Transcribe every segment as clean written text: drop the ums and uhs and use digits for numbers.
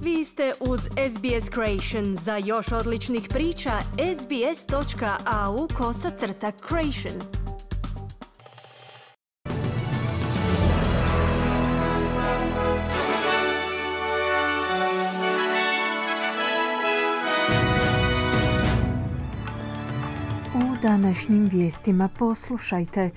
Vi ste uz SBS Creation. Za još odličnih priča, sbs.au/creation. U današnjim vijestima poslušajte.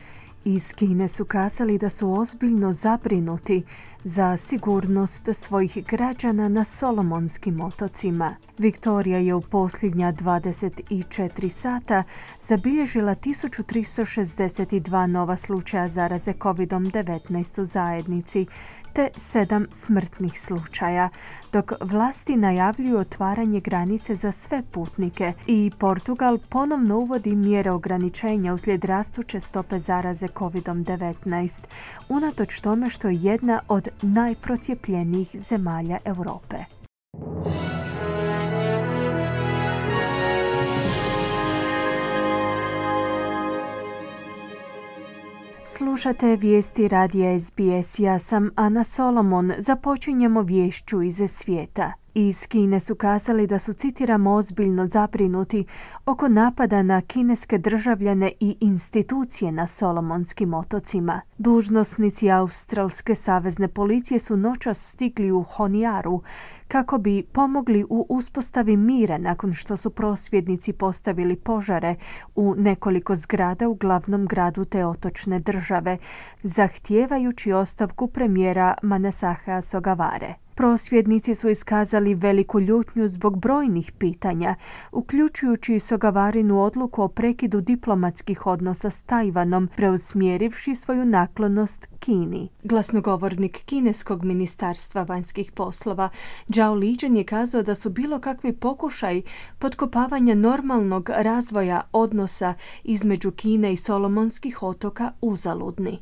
Iz Kine su kazali da su ozbiljno zabrinuti za sigurnost svojih građana na Solomonskim otocima. Viktorija je u posljednja 24 sata zabilježila 1362 nova slučaja zaraze COVID-19 u zajednici, te 7 smrtnih slučaja, dok vlasti najavljuju otvaranje granice za sve putnike i Portugal ponovno uvodi mjere ograničenja uslijed rastuće stope zaraze COVID-19, unatoč tome što je jedna od najprocijepljenijih zemalja Europe. Slušate vijesti radija SBS. Ja sam Ana Solomon. Započinjemo viješću iz svijeta. Iz Kine su kazali da su, citiramo, ozbiljno zabrinuti oko napada na kineske državljane i institucije na Solomonskim otocima. Dužnosnici Australske savezne policije su noćas stigli u Honiaru kako bi pomogli u uspostavi mira nakon što su prosvjednici postavili požare u nekoliko zgrada u glavnom gradu te otočne države, zahtijevajući ostavku premijera Manasahea Sogavare. Prosvjednici su iskazali veliku ljutnju zbog brojnih pitanja, uključujući Sogavarinu odluku o prekidu diplomatskih odnosa s Tajvanom, preusmjerivši svoju naklonost Kini. Glasnogovornik kineskog ministarstva vanjskih poslova Zhao Lijian je kazao da su bilo kakvi pokušaj potkopavanja normalnog razvoja odnosa između Kine i Solomonskih otoka uzaludni.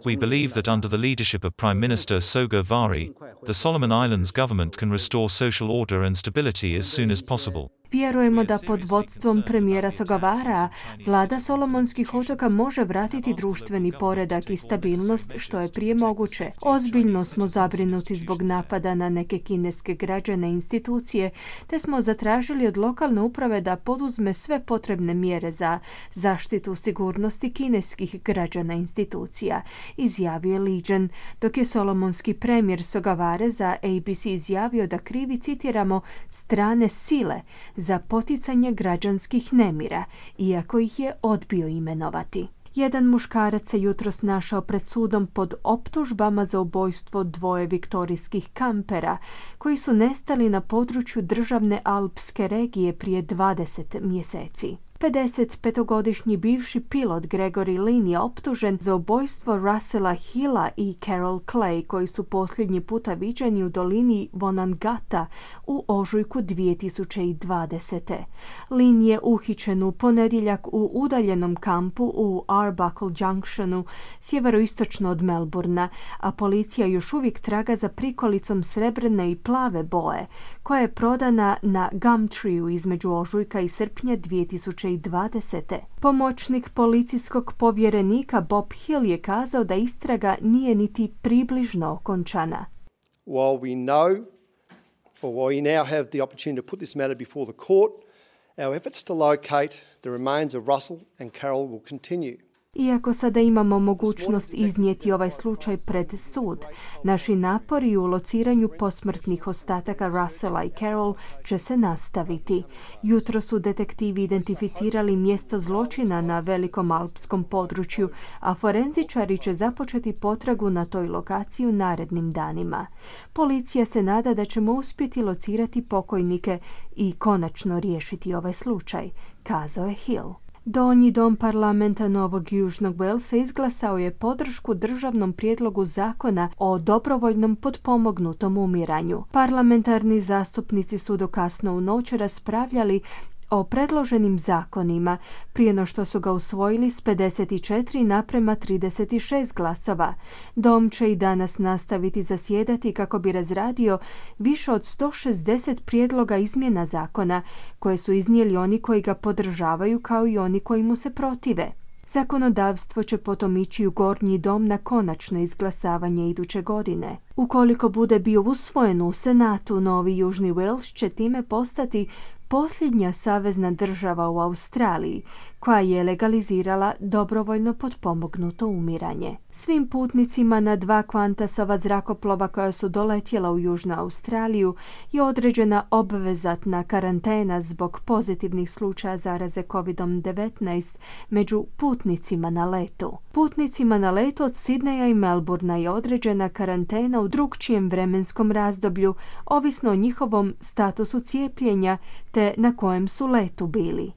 We believe that under the leadership of Prime Minister Sogavare, the Solomon Islands government can restore social order and stability as soon as possible. Vjerujemo da pod vodstvom premijera Sogavara vlada Solomonskih otoka može vratiti društveni poredak i stabilnost što je prije moguće. Ozbiljno smo zabrinuti zbog napada na neke kineske građane i institucije, te smo zatražili od lokalne uprave da poduzme sve potrebne mjere za zaštitu sigurnosti kineskih građana i institucija, izjavio je Lijian, dok je solomonski premijer Sogavare za ABC izjavio da krivi, citiramo, strane sile za poticanje građanskih nemira, iako ih je odbio imenovati. Jedan muškarac se jutros našao pred sudom pod optužbama za ubojstvo 2 viktorijskih kampera koji su nestali na području državne alpske regije prije 20 mjeseci. 55-godišnji bivši pilot Gregory Lynn je optužen za ubojstvo Russella Hilla i Carol Clay, koji su posljednji puta viđeni u dolini Vonangata u ožujku 2020. Lynn je uhićen u ponedjeljak u udaljenom kampu u Arbuckle Junctionu, sjeveroistočno od Melbourna, a policija još uvijek traga za prikolicom srebrne i plave boje, koja je prodana na Gumtreeu između ožujka i srpnja 2020. Pomoćnik policijskog povjerenika Bob Hill je kazao da istraga nije niti približno okončana. While we now have the opportunity to put this matter before the court, our efforts to locate the remains of Russell and Carol will continue. Iako sada imamo mogućnost iznijeti ovaj slučaj pred sud, naši napori u lociranju posmrtnih ostataka Russella i Carol će se nastaviti. Jutro su detektivi identificirali mjesto zločina na velikom alpskom području, a forenzičari će započeti potragu na toj lokaciji u narednim danima. Policija se nada da ćemo uspjeti locirati pokojnike i konačno riješiti ovaj slučaj, kazao je Hill. Donji dom parlamenta Novog Južnog Walesa izglasao je podršku državnom prijedlogu zakona o dobrovoljnom potpomognutom umiranju. Parlamentarni zastupnici su do kasno u noć raspravljali o predloženim zakonima prije no što su ga usvojili s 54:36 glasova. Dom će i danas nastaviti zasjedati kako bi razradio više od 160 prijedloga izmjena zakona koje su iznijeli oni koji ga podržavaju kao i oni koji mu se protive. Zakonodavstvo će potom ići u gornji dom na konačno izglasavanje iduće godine. Ukoliko bude bio usvojen u Senatu, Novi Južni Wales će time postati posljednja savezna država u Australiji koja je legalizirala dobrovoljno potpomognuto umiranje. Svim putnicima na 2 Qantasova zrakoplova koja su doletjela u Južnu Australiju je određena obvezatna karantena zbog pozitivnih slučaja zaraze COVID-19 među putnicima na letu. Putnicima na letu od Sidneja i Melbournea je određena karantena u drukčijem vremenskom razdoblju, ovisno o njihovom statusu cijepljenja te na kojem su letu bili.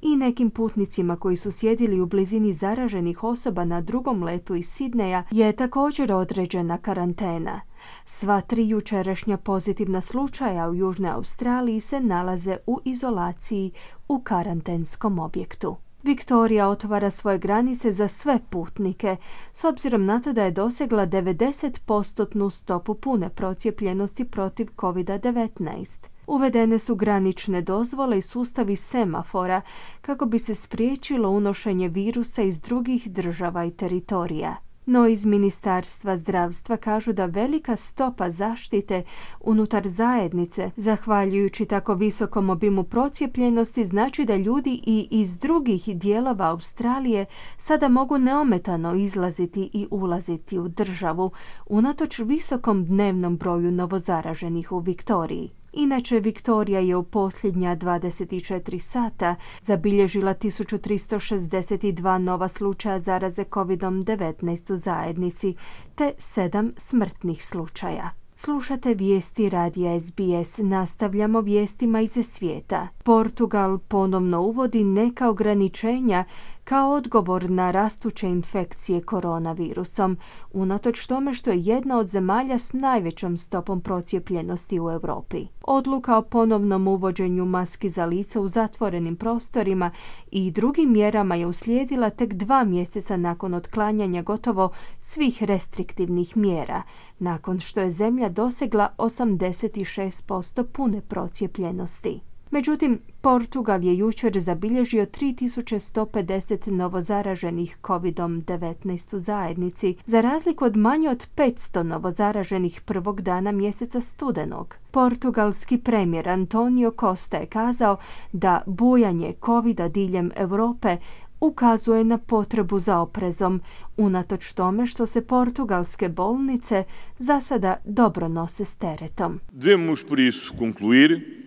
I nekim putnicima koji su sjedili u blizini zaraženih osoba na drugom letu iz Sidneja je također određena karantena. Sva 3 jučerašnja pozitivna slučaja u Južnoj Australiji se nalaze u izolaciji u karantenskom objektu. Viktorija otvara svoje granice za sve putnike, s obzirom na to da je dosegla 90% stopu pune procijepljenosti protiv COVID-19. Uvedene su granične dozvole i sustavi semafora kako bi se spriječilo unošenje virusa iz drugih država i teritorija. No iz Ministarstva zdravstva kažu da velika stopa zaštite unutar zajednice, zahvaljujući tako visokom obimu procijepljenosti, znači da ljudi i iz drugih dijelova Australije sada mogu neometano izlaziti i ulaziti u državu, unatoč visokom dnevnom broju novozaraženih u Viktoriji. Inače, Viktorija je u posljednja 24 sata zabilježila 1362 nova slučaja zaraze COVID-19 u zajednici, te 7 smrtnih slučaja. Slušate vijesti radija SBS. Nastavljamo vijestima iz svijeta. Portugal ponovno uvodi neka ograničenja kao odgovor na rastuće infekcije koronavirusom, unatoč tome što je jedna od zemalja s najvećom stopom procijepljenosti u Europi. Odluka o ponovnom uvođenju maski za lice u zatvorenim prostorima i drugim mjerama je uslijedila tek 2 mjeseca nakon otklanjanja gotovo svih restriktivnih mjera, nakon što je zemlja dosegla 86% pune procijepljenosti. Međutim, Portugal je jučer zabilježio 3150 novozaraženih COVID-19 u zajednici, za razliku od manje od 500 novozaraženih prvog dana mjeseca studenog. Portugalski premijer Antonio Costa je kazao da bujanje COVID-a diljem Europe ukazuje na potrebu za oprezom, unatoč tome što se portugalske bolnice za sada dobro nose s teretom. Devemos por isso concluir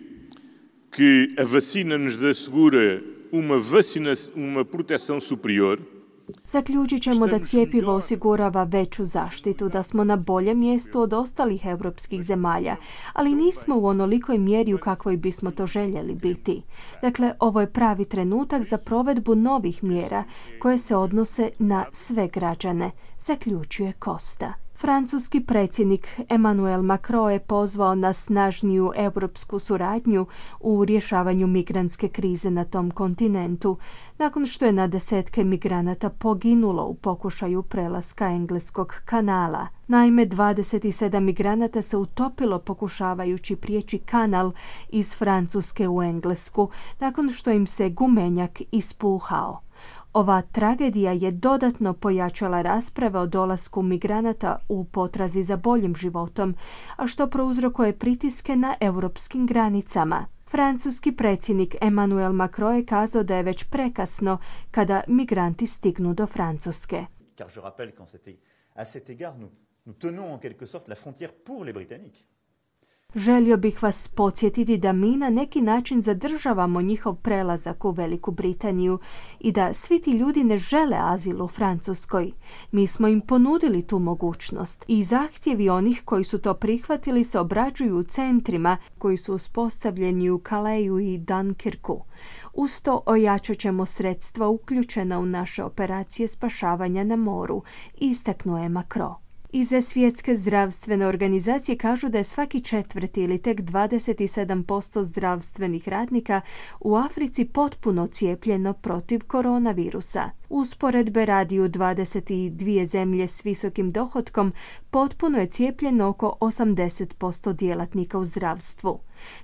que a vacina nos assegura uma proteção superior. Zaključit ćemo da cjepivo osigurava veću zaštitu, da smo na boljem mjestu od ostalih europskih zemalja, ali nismo u onolikoj mjeri u kakvoj bismo to željeli biti. Dakle, ovo je pravi trenutak za provedbu novih mjera koje se odnose na sve građane, zaključuje Costa. Francuski predsjednik Emmanuel Macron je pozvao na snažniju europsku suradnju u rješavanju migrantske krize na tom kontinentu, nakon što je na desetke migranata poginulo u pokušaju prelaska Engleskog kanala. Naime, 27 migranata se utopilo pokušavajući prijeći kanal iz Francuske u Englesku, nakon što im se gumenjak ispuhao. Ova tragedija je dodatno pojačala rasprave o dolasku migranata u potrazi za boljim životom, a što prouzrokuje pritiske na europskim granicama. Francuski predsjednik Emmanuel Macron je kazao da je već prekasno kada migranti stignu do Francuske. Car je rappelle qu'à cet égard nous tenons en quelque sorte la frontière pour les Britanniques. Želio bih vas podsjetiti da mi na neki način zadržavamo njihov prelazak u Veliku Britaniju i da svi ti ljudi ne žele azil u Francuskoj. Mi smo im ponudili tu mogućnost i zahtjevi onih koji su to prihvatili se obrađuju u centrima koji su uspostavljeni u Calesu i Dunkirku. Uz to ojačat ćemo sredstva uključena u naše operacije spašavanja na moru, istaknuo je Macron. Iz Svjetske zdravstvene organizacije kažu da je svaki 4. ili tek 27% zdravstvenih radnika u Africi potpuno cijepljeno protiv koronavirusa. Usporedbe radi u 22 zemlje s visokim dohotkom potpuno je cijepljeno oko 80% djelatnika u zdravstvu.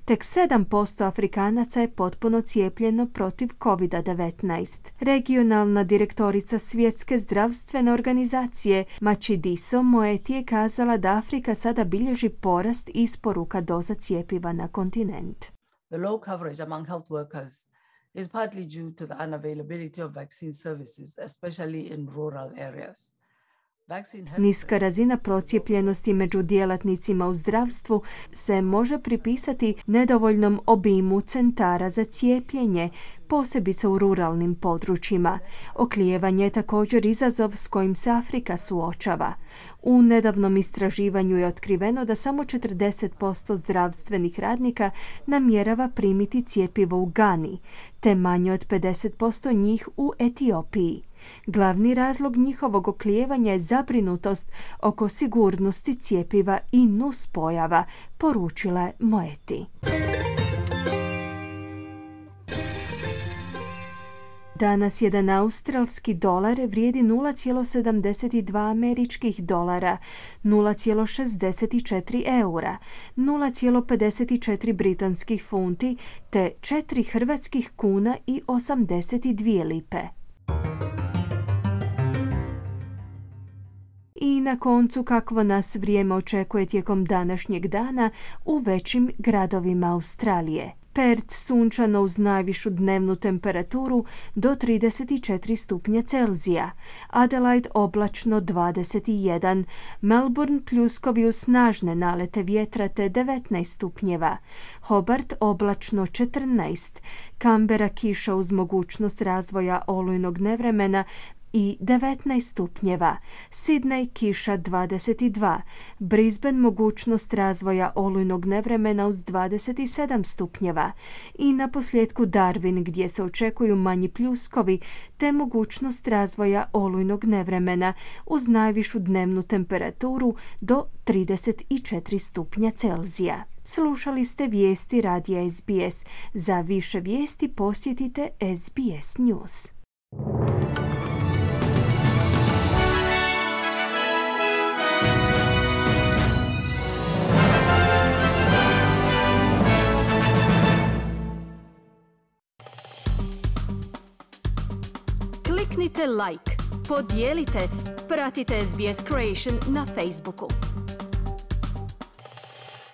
Tek 7% Afrikanaca je potpuno cijepljeno protiv COVID-19. Regionalna direktorica Svjetske zdravstvene organizacije Matshidiso Moeti je kazala da Afrika sada bilježi porast isporuka doza cjepiva na kontinent. The low coverage among health workers is partly due to the unavailability of vaccine services, especially in rural areas. Niska razina procijepljenosti među djelatnicima u zdravstvu se može pripisati nedovoljnom obimu centara za cijepljenje, posebice u ruralnim područjima. Oklijevanje je također izazov s kojim se Afrika suočava. U nedavnom istraživanju je otkriveno da samo 40% zdravstvenih radnika namjerava primiti cjepivo u Gani, te manje od 50% njih u Etiopiji. Glavni razlog njihovog oklijevanja je zabrinutost oko sigurnosti cjepiva i nuspojava, poručila je Moeti. Danas jedan australski dolar vrijedi 0,72 američkih dolara, 0,64 eura, 0,54 britanskih funti te 4 hrvatskih kuna i 82 lipe. I na koncu kakvo nas vrijeme očekuje tijekom današnjeg dana u većim gradovima Australije. Perth sunčano uz najvišu dnevnu temperaturu do 34 stupnja Celzija, Adelaide oblačno 21, Melbourne pljuskovi uz snažne nalete vjetra te 19 stupnjeva, Hobart oblačno 14, Canberra kiša uz mogućnost razvoja olujnog nevremena i 19 stupnjeva, Sydney kiša 22, Brisbane mogućnost razvoja olujnog nevremena uz 27 stupnjeva i na posljedku Darwin gdje se očekuju manji pljuskovi te mogućnost razvoja olujnog nevremena uz najvišu dnevnu temperaturu do 34 stupnja Celzija. Slušali ste vijesti radija SBS. Za više vijesti posjetite SBS News. Kliknite like, podijelite, pratite SBS Creation na Facebooku.